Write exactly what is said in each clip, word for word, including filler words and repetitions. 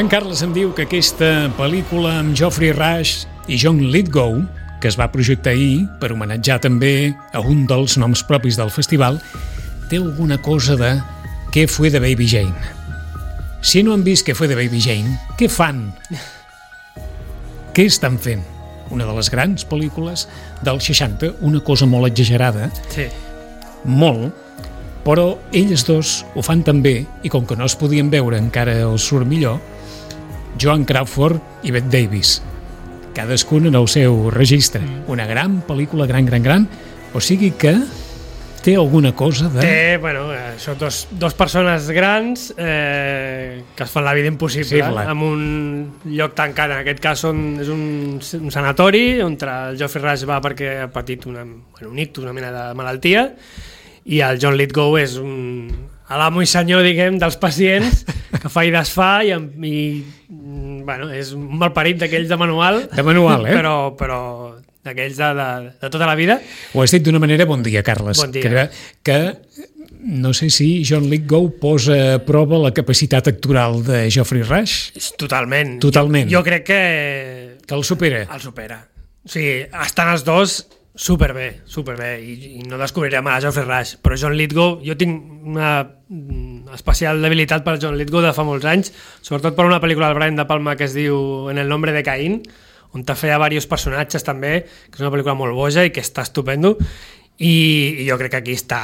en Carles em diu que aquesta pel·lícula amb Geoffrey Rush i John Lithgow, que es va projectar ahir per homenatjar també a un dels noms propis del festival, té alguna cosa de Què fue de Baby Jane. Si no han vist Què fue de Baby Jane, què fan? Què estan fent? Una de les grans pel·lícules dels seixanta, una cosa molt exagerada, sí. molt, però ells dos ho fan també, i com que no es podien veure encara els surt millor, Joan Crawford i Bette Davis, cadascun en el seu registre. Una gran pel·lícula, gran, gran, gran, o sigui que té alguna cosa de... Té, bueno, eh, són dos, dos persones grans eh, que es fan la vida impossible, sí, eh, en un lloc tancat. En aquest cas són, és un, un sanatori on el Geoffrey Rush va perquè ha patit una, bueno, un ictus, una mena de malaltia, i el John Lithgow és un l'amo i senyor, diguem, dels pacients, que fa i desfà, i, i bueno, és un malparit d'aquells de manual, de manual eh? però, però d'aquells de, de, de tota la vida. Ho has dit d'una manera, bon dia, Carles. Bon dia. Que, que no sé si John Lithgow posa a prova la capacitat actoral de Geoffrey Rush. Totalment. Totalment. Jo, jo crec que... Que el supera. El supera. O sigui, estan els dos superbé, superbé, i, i no descobrirem a Geoffrey Rush, però John Lithgow, jo tinc una especial debilitat per John Lithgow de fa molts anys, sobretot per una pel·lícula del Brian De Palma que es diu En el nombre de Caín, on te feia diversos personatges també, que és una pel·lícula molt boja i que està estupendo, i, i jo crec que aquí està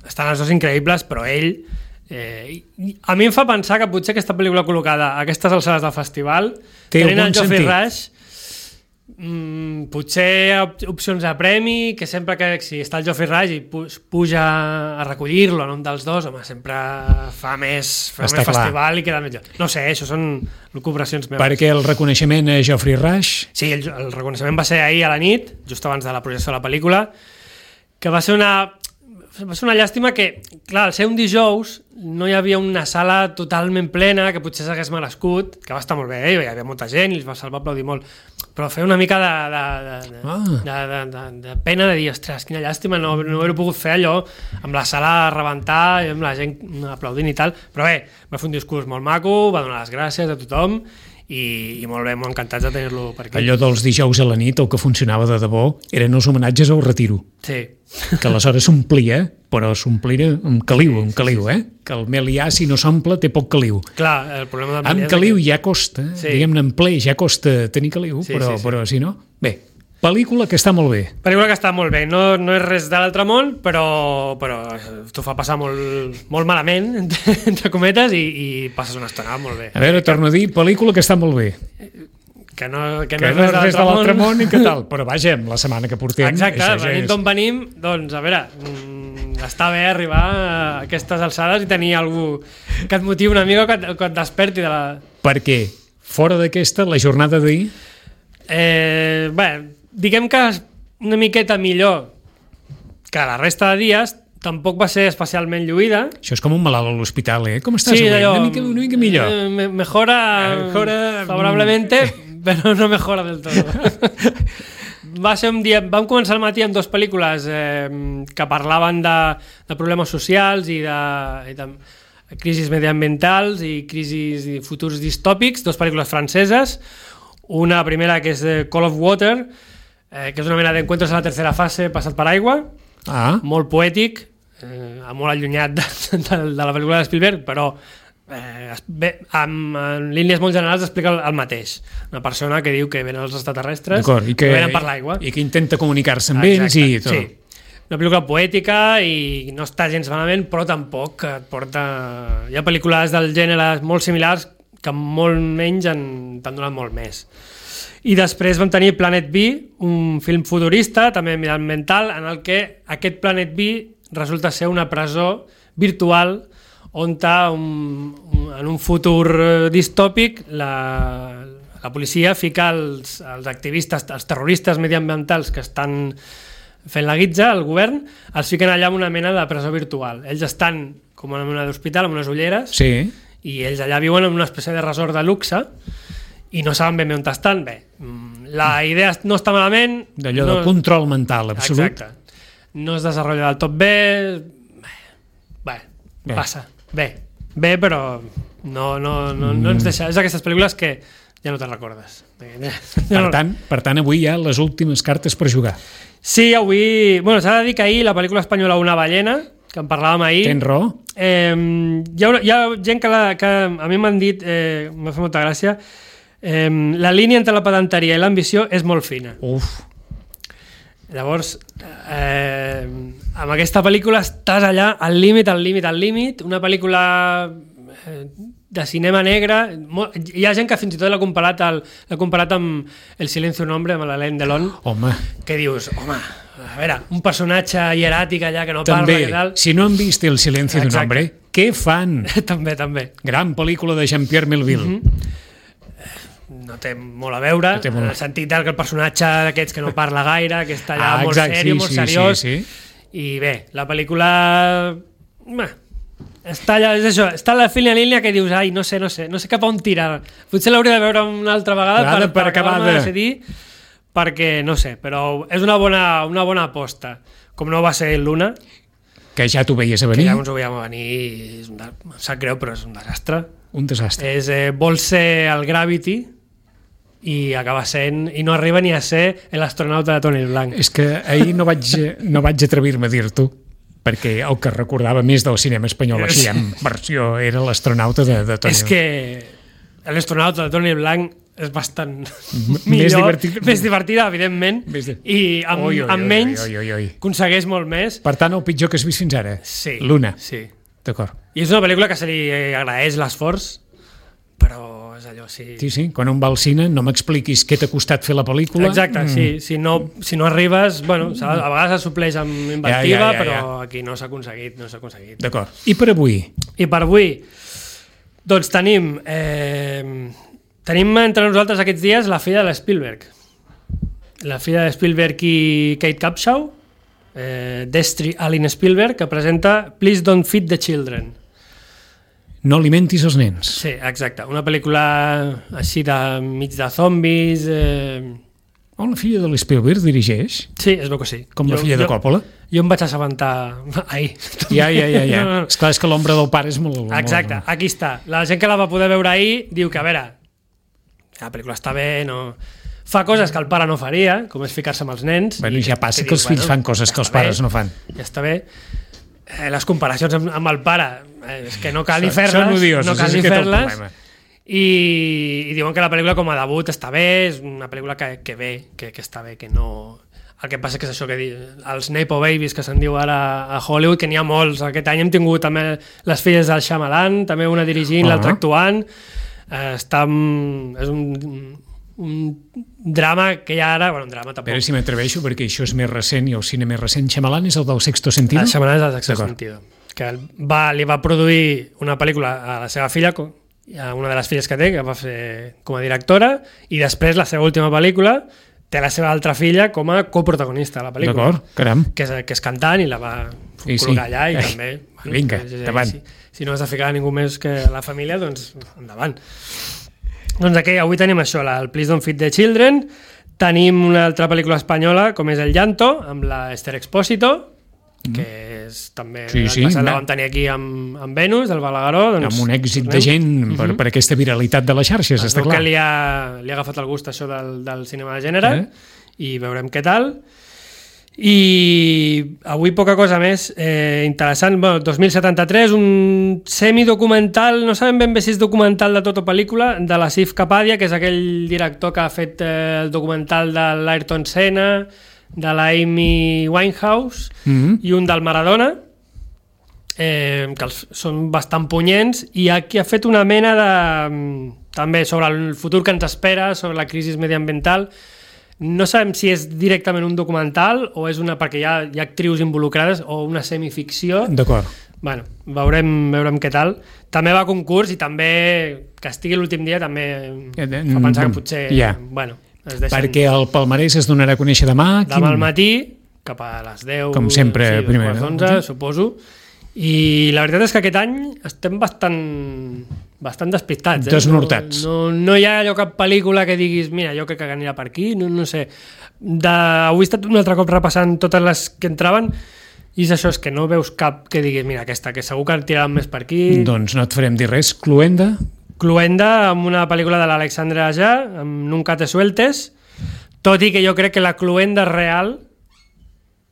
estan els dos increïbles, però ell eh, a mi em fa pensar que potser aquesta pel·lícula col·locada a aquestes alçades del festival té tenint el Geoffrey sentit. Rush, Mm, potser opcions de premi, que sempre que si està el Geoffrey Rush i pu puja a recollir-lo en un dels dos, home, sempre fa més, fa més festival i queda millor. No sé, això són lucubracions meves. Perquè el reconeixement a Geoffrey Rush... Sí, el, el reconeixement va ser ahir a la nit, just abans de la projecció de la pel·lícula, que va ser una... va ser una llàstima que, clar, al ser un dijous no hi havia una sala totalment plena que potser s'hagués merescut, que va estar molt bé, eh? Hi havia molta gent i els va, se'l va aplaudir molt, però feia una mica de, de, de, ah. de, de, de, de pena de dir, ostres, quina llàstima, no, no haver-ho pogut fer allò amb la sala a rebentar i amb la gent aplaudint i tal, però bé, va fer un discurs molt maco, va donar les gràcies a tothom i, i molt bé, molt encantats de tenir-lo per aquí. Allò dels dijous a la nit, el que funcionava de debò eren els homenatges al retiro. Sí. Que aleshores s'omplia, però s'omplia amb caliu, amb caliu, eh? Que el melià, si no s'omple, té poc caliu. Clar, el problema del amb caliu que... ja costa, sí. Diguem-ne, en ple ja costa tenir caliu, sí, però, sí, sí. però si no... Bé, pel·lícula que està molt bé. Pel·lícula que està molt bé, no, no és res de l'altre món, però, però t'ho fa passar molt, molt malament, entre, entre cometes, i, i passes una estona molt bé. A veure, torno a dir, pel·lícula que està molt bé. Que no, que que no, no és res de l'altre món. món i que tal, però vaja, la setmana que portem... Exacte, ja venim és... d'on venim, doncs a veure, mmm, està bé arribar a aquestes alçades i tenir algú que et motivi una mica, que et, que et desperti de la... Perquè fora d'aquesta, la jornada d'ahir... Eh, bé, diguem que una miqueta millor que la resta de dies, tampoc va ser especialment lluïda. Això és com un malalt a l'hospital, eh? Com estàs sí, avui? Allò, una, mica, una mica millor. Eh, mejora, mejora favorablemente, però no mejora del tot. Va ser un dia... Vam començar el matí amb dues pel·lícules eh, que parlaven de, de problemes socials i de, i de crisis mediambientals i crisis i futurs distòpics, dues pel·lícules franceses. Una primera que és Call of Water, eh, que és una mena d'encuentros a la tercera fase passat per aigua, ah. molt poètic, eh, molt allunyat de, de, de la pel·lícula de Spielberg, però eh, bé, amb, en línies molt generals explica el, el mateix. Una persona que diu que venen els extraterrestres, i que, que venen per l'aigua. I que intenta comunicar-se amb ells i tot. Sí. Una pel·lícula poètica i no està gens malament, però tampoc et porta... Hi ha pel·lícules del gènere molt similars que molt menys t'han donat molt més. I després vam tenir Planet B, un film futurista, també ambiental, en el que aquest Planet B resulta ser una presó virtual on un, un, en un futur distòpic la, la policia fica els, els activistes, els terroristes mediambientals que estan fent la guitza, el govern, els fiquen allà en una mena de presó virtual. Ells estan com en una d'hospital, amb unes ulleres, sí. I ells allà viuen en una espècie de resort de luxe i no saben ben bé on estan. Bé, la idea no està malament. D'allò no... de control mental, absolut. Exacte. No es desenvolupa del tot bé. Bé, bé, bé. Passa. Bé, bé, però No, no, no, no ens deixa... És d'aquestes pel·lícules que ja no te'n recordes. Per tant, per tant, avui hi ha les últimes cartes per jugar. Sí, avui... Bueno, s'ha de dir que ahir la pel·lícula espanyola Una ballena, que en parlàvem ahir... Tens raó. Eh, hi, ha, hi ha gent que, la, que a mi m'han dit, eh, m'ha fet molta gràcia, eh, la línia entre la pedanteria i l'ambició és molt fina. Uf. Llavors, eh, amb aquesta pel·lícula estàs allà al límit, al límit, al límit, una pel·lícula eh, de cinema negre. Hi ha gent que fins i tot l'ha comparat, el, l'ha comparat amb El silencio un hombre, amb l'Alain Delon. Home. Que dius, home, a veure, un personatge hieràtic allà que no també, parla i tal. Si no han vist El silencio d'un hombre, què fan? també, també. Gran pel·lícula de Jean-Pierre Melville. Mm-hmm. No té molt a veure, no molt... en el sentit que el personatge d'aquests que no parla gaire, que està allà ah, molt exacte, sèrio, sí, molt sí, seriós, sí, sí. I bé, la pel·lícula... Bé, està allà, és això, està a la fina línia que dius, ai, no sé, no sé, no sé cap a on tirar. Potser l'hauria de veure una altra vegada per, per, per acabar de decidir, perquè no sé, però és una bona, una bona aposta. Com no va ser Luna, que ja t'ho veies a venir. Que ja ens ho veiem a venir, és un de... em sap greu, però és un desastre. Un desastre. És, eh, vol ser el Gravity, i acaba sent, i no arriba ni a ser l'astronauta de Toni Blanc. És que ahir no vaig, no vaig atrevir-me a dir-t'ho, perquè el que recordava més del cinema espanyol així en versió era l'astronauta de, de Toni Blanc. És que l'astronauta de Toni Blanc és bastant més millor, divertit. més divertida, evidentment, de... i amb, oi, oi, amb menys oi, oi, oi, oi. aconsegueix molt més. Per tant, el pitjor que has vist fins ara, sí, Luna. Sí. D'acord. I és una pel·lícula que se li agraeix l'esforç, però és allò, sí... Sí, sí, quan un va al cine no m'expliquis què t'ha costat fer la pel·lícula. Exacte, mm. sí, si no, si no arribes, bueno, a vegades es supleix amb inventiva, ja, ja, ja, però ja. Aquí no s'ha aconseguit, no s'ha aconseguit. D'acord. I per avui? I per avui, doncs tenim, eh, tenim entre nosaltres aquests dies la filla de l'Spielberg. La filla de Spielberg i Kate Capshaw, eh, Destry Allen Spielberg, que presenta Please Don't Feed the Children. No alimentis els nens. Sí, exacte. Una pel·lícula així de mig de zombis... Eh... Oh, la filla de l'Spielberg dirigeix? Sí, es veu que sí. Com jo, la filla jo, de Coppola? Jo em vaig assabentar ahir. Ja, ja, ja. ja. No, no. Esclar, és que l'ombra del pare és molt... Exacte, molt... aquí està. La gent que la va poder veure ahir diu que, a veure, la pel·lícula està bé, no... Fa coses que el pare no faria, com és ficar-se amb els nens. Bueno, i ja passa que, que els fills bueno, fan coses que els pares bé, no fan. Ja està bé. Eh, les comparacions amb, amb el pare eh, és que no cal ni fer-les, són odioses, no cal ni fer-les, i, i diuen que la pel·lícula com a debut està bé, és una pel·lícula que, que bé, que, que està bé, que no... El que passa que és això que diu, els Nepo Babies que se'n diu ara a Hollywood, que n'hi ha molts. Aquest any hem tingut també les filles del Shyamalan, també una dirigint, uh-huh. l'altra actuant. Eh, està, és un... un drama que hi ha ara, bueno, un drama tampoc. A veure si m'atreveixo, perquè això és més recent i el cine més recent. Shyamalan és el del Sexto Sentido? El Shyamalan és el del Sexto Sentido, que va, li va produir una pel·lícula a la seva filla, a una de les filles que té, que va fer com a directora, i després la seva última pel·lícula té la seva altra filla com a coprotagonista de la pel·lícula. D'acord, caram. Que és, que és cantant i la va sí, col·locar sí. allà i Ai, també... Bueno, vinga, endavant. Si, si no has de ficar a ningú més que la família, doncs endavant. Doncs aquí, avui tenim això, la, el Please Don't Feed the Children, tenim una altra pel·lícula espanyola com és El Llanto, amb la Esther Expósito, mm. que és també sí, sí, passat la vam tenir aquí amb, amb Venus, del Balagueró. Doncs, amb un èxit de gent per, uh-huh. per aquesta viralitat de les xarxes, està clar. Que li ha, li ha agafat el gust això del, del cinema de gènere eh? I veurem què tal. I avui poca cosa més eh, interessant, bueno, dos mil setanta-tres, un semidocumental, no sabem ben bé si és documental de tota pel·lícula, de la Sif Kapadia, que és aquell director que ha fet eh, el documental de l'Ayrton Senna, de la Amy Winehouse mm-hmm. i un del Maradona, eh, que els, són bastant punyents, i aquí ha fet una mena de... també sobre el futur que ens espera, sobre la crisi mediambiental. No sabem si és directament un documental o és una, perquè hi ha, hi ha actrius involucrades, o una semificció. D'acord. Bueno, veurem, veurem què tal. També va a concurs i també que estigui l'últim dia també fa pensar que potser... Yeah. Bueno, es deixen... Perquè el palmarès es donarà a conèixer demà. Demà quin... al matí, cap a les deu. Com sempre, sí, primer. onze, suposo. I la veritat és que aquest any estem bastant... bastant despistats. Eh? Desnortats. No, no, no hi ha allò cap pel·lícula que diguis mira, jo crec que anirà per aquí, no, no sé. De, avui he estat un altre cop repassant totes les que entraven I és això, és que no veus cap que diguis, mira, aquesta, que segur que tiraran més per aquí. Doncs no et farem dir res. Cluenda? Cluenda, amb una pel·lícula de l'Alexandre Aja, amb Nunca te sueltes, tot i que jo crec que la Cluenda real,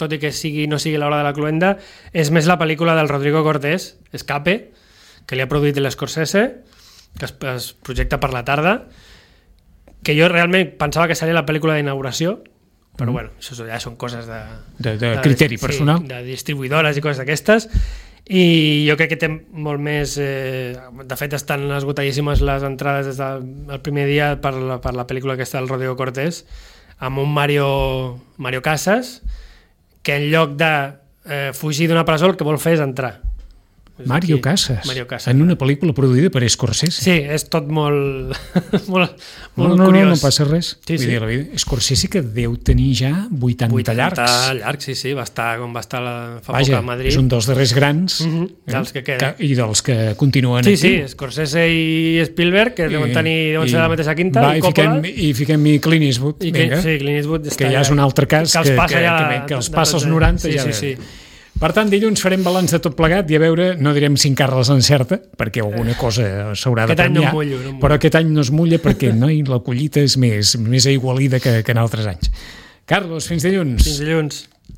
tot i que sigui, no sigui l'hora de la Cluenda, és més la pel·lícula del Rodrigo Cortés, Escape, que li ha produït l'Scorsese, que es, es projecta per la tarda, que jo realment pensava que seria la pel·lícula d'inauguració, però mm. bueno, això ja són coses de, de, de, de criteri sí, personal, de distribuïdores i coses d'aquestes, i jo crec que té molt més eh, de fet estan esgotadíssimes les entrades des del primer dia per la, per la pel·lícula aquesta del Rodrigo Cortés, amb un Mario, Mario Casas, que en lloc de eh, fugir d'una presó el que vol fer és entrar. Mario Casas, Mario Casas, en una pel·lícula produïda per Scorsese. Sí, és tot molt, molt, no, molt no, curiós. No, no passa res. Sí, Vull sí. dir, la vida. Scorsese que deu tenir ja vuitanta, vuitanta llargs. llargs, sí, sí, va estar com va estar la, fa Vaja, poc a Madrid. És un dels darrers grans mm-hmm, dels que queden. I dels que continuen sí, actiu. Sí, Scorsese i Spielberg, que deuen tenir deuen ser de la mateixa quinta, va, i, fiquem, i fiquem-hi Clint Eastwood, I que, sí, Clint Eastwood que ja és un altre cas, que, que, que, que, que els passa als noranta. Sí, ja sí, sí. Per tant, dilluns farem balanç de tot plegat i a veure, no direm si en Carles encerta, perquè alguna cosa s'haurà de premiar, no mullo, no mullo. Però aquest any no es mulla perquè no, la collita és més, més aigualida que, que en altres anys. Carles, fins dilluns. Fins dilluns.